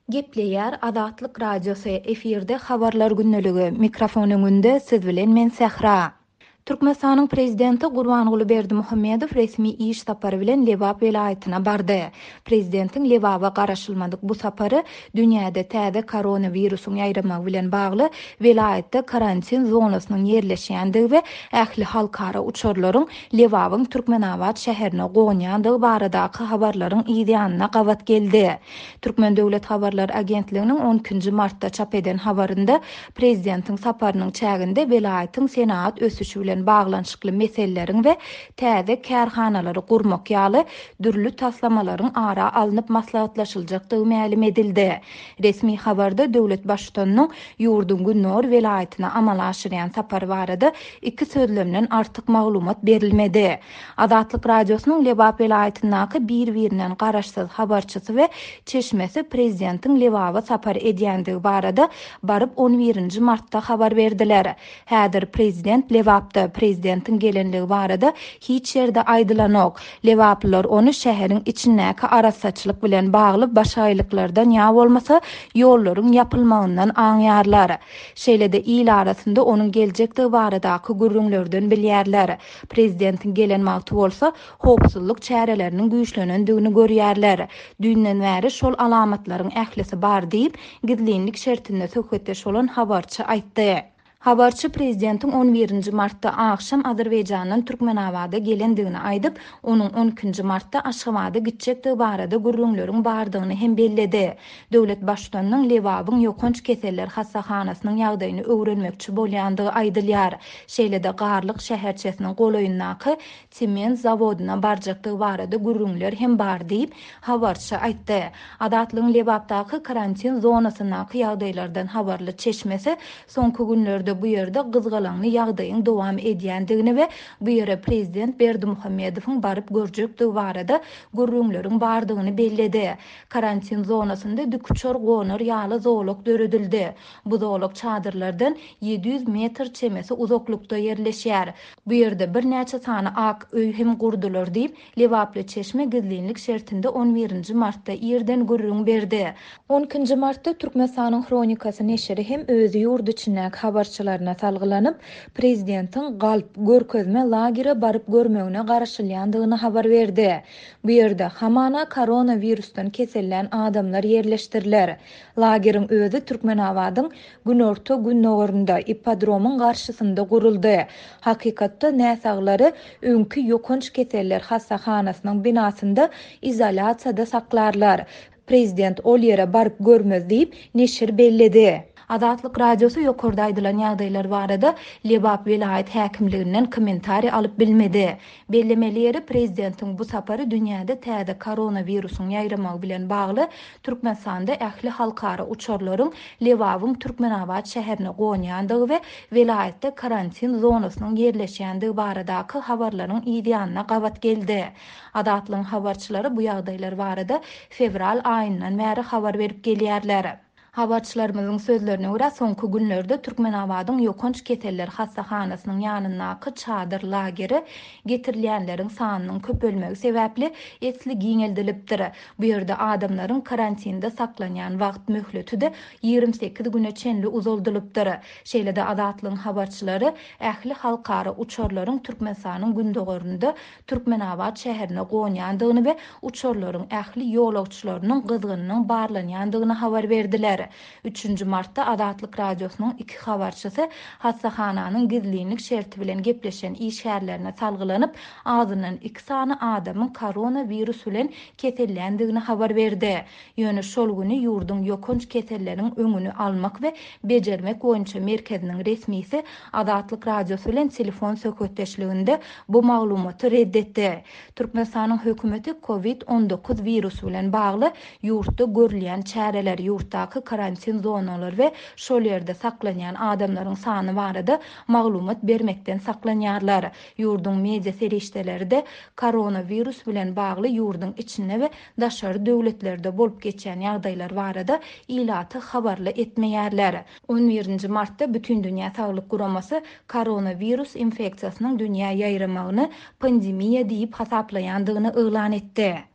Gepleýär Azatlyk Radiosy, efirde Habarlar gündeligi, mikrofon öňünde siz bilen men Sähra. Türkmenistanyň Prezidenti Gurbanguly Berdimuhamedow resmi iş sapary bilen Lebap welaýatyna bardy. Prezidentiň Lebaba garaşylmadyk bu sapary dünýäde täze koronawirusyň ýaýramagy bilen bagly welaýatda karantin zonasynyň ýerleşýändigi we ähli halkara uçarlaryň Lebabyň Türkmenabat şäherine gonýandygy baradaky habarlaryň yzýanyna gabat geldi. Türkmen döwlet habarlar agentliginiň on ikinji martda çap eden habarynda prezidentiň saparynyň çäginde welaýatyň senagat ösüşi bilen baglanyşykly meseleleriň we täze kärhanalary gurmak ýaly dürli taslamalaryň ara alnyp maslahatlaşyljakdygy mälim edildi. Resmi habarda döwlet Baştutanynyň ýurduň gündogar welaýatyna amala aşyrýan sapary barada iki sözlemden artyk maglumat berilmedi. Azatlyk Radiosynyň Lebap welaýatyndaky bir-birinden garaşsyz habarçysy we çeşmesi prezidentiň Lebaba sapar edýändigi barada baryp on birinji martda habar berdiler. Häzir prezident Lebapda, prezidentiň gelenligi barada hiç ýerde aýdylanok. Lebaplylar ony şäheriň içindäki arassaçylyk bilen bagly başagaýlyklardan ýa bolmasa ýollaryň ýapylmagyndan aňýarlar. Şeýle-de il arasynda onuň geljekdigi baradaky gürrüňlerden bilýärler. Prezidentiň gelen wagty bolsa howpsuzlyk çäreleriniň güýçlenendigini görýärler. Düýnden bäri şol alamatlaryň ählisi bar diýip, gizlinlik şertinde söhbetdeş bolan habarçy aýtdy. Habarçy prezidentiň on birinji martda agşam Azerbaýjandan Türkmenabada gelendigini aýdyp, onuň on ikinji martda Aşgabada gitjekdigi barada gürrüňleriň bardygyny hem belledi. Döwlet Baştutanynyň Lebabyň ýokanç keseller hassahanasynyň ýagdaýyny öwrenmekçi bolýandygy aýdylýar. Şeýle-de Garlyk şäherçesiniň golaýyndaky sement zawodyna barjakdygy barada gürrüňler hem bar diýip, habarçy aýtdy. Azatlygyň Lebapdaky karantin zonasyndaky ýagdaýlardan habarly çeşmesi soňky günlerde bu ýerde gyzgalaňly ýagdaýyň dowam edýändigini we bu ýere prezident Berdimuhamedowyň baryp görjekdigi barada gürrüňleriň bardygyny belledi. Karantin zonasynda dikuçar gonar ýaly zolak döredildi. Bu zolak çadyrlardan 700 metr çemesi uzaklykda ýerleşýär. Bu ýerde birnäçe sany ak öý hem gurdular diýip, lebaply çeşme gizlinlik şertinde on birinji martda irden gürrüň berdi. On ikinji martda Türkmenistanyň Hronikasy neşiri hem öz ýurt içindäki habarçylaryna salgylanyp, prezidentiň galp, görkezme lagere baryp görmegine garaşylýandygyny habar berdi. Bu ýerde, hamana, koronawirusdan kesellän adamlar ýerleşdiriler. Lageriň özi Türkmenabadyň günorta-gündogarynda, ippodromyň garşysynda guruldy. Hakykatda, näsaglary öňki ýokanç keseller hassahanasynyň binasynda izolýasiýada saklarlar. Prezident ol ýere baryp görmez diýip, neşir belledi. Azatlyk Radiosy ýokarda aýdylan ýagdaýlar barada Lebap welaýat häkimliginden kommentariý alyp bilmedi. Bellemeli ýeri, prezidentiň bu sapary dünýäde täze koronawirusyň ýaýramagy bilen bagly Türkmenistanda ähli halkara uçarlaryň Lebabyň Türkmenabat şäherine gonýandygy we welaýatda karantin zonasynyň ýerleşýändigi baradaky habarlaryň yzýanyna gabat geldi. Azatlygyň habarçylary bu ýagdaýlar barada fewral aýyndan bäri habar berip gelýärler. Habarçylarymyzyň sözlerine görä, soňky günlerde Türkmenabadyň ýokanç keseller hassahanasynyň ýanyndaky çadyr lageri getirilýänleriň sanynyň köpelmegi sebäpli esli giňeldilipdir. Bu ýerde adamlaryň karantinde saklanýan wagt möhleti-de 28 güne çenli uzaldylypdyr. Şeýle-de Azatlygyň habarçylary ähli halkara uçarlaryň Türkmenistanyň gündogarynda Türkmenabat şäherine gonýandygyny we uçarlaryň ähli ýolagçylarynyň gyzgynynyň barlanýandygyny habar berdiler. Üçünji martda Azatlyk Radiosynyň iki habarçysy hassahananyň gizlinlik şerti bilen gepleşen işgärlerine salgylanyp, azyndan iki sany adamyň koronawirus bilen keselländigini habar berdi. Ýöne şol güni ýurduň ýokanç keselleriň öňüni almak we bejermek boýunça merkeziniň resmisi Azatlyk Radiosy bilen telefon söhbetdeşliginde bu maglumaty ret etdi. Türkmenistanyň hökümeti Covid 19 wirusy bilen bagly ýurtda görülýän çäreler, ýurtdaky karantin zonalary we şol ýerde saklanýan adamlaryň sany barada maglumat bermekden saklanýarlar. Ýurduň media serişdeleri-de koronawirus bilen bagly ýurduň içinde we daşary döwletlerde bolup geçýän ýagdaýlar barada ilaty habarly etmeýärler. On birinji martda Bütindünýä Saglyk Guramasy koronawirus infeksiýasynyň dünýä ýaýramagyny pandemiýa diýip hasaplaýandygyny yglan etdi.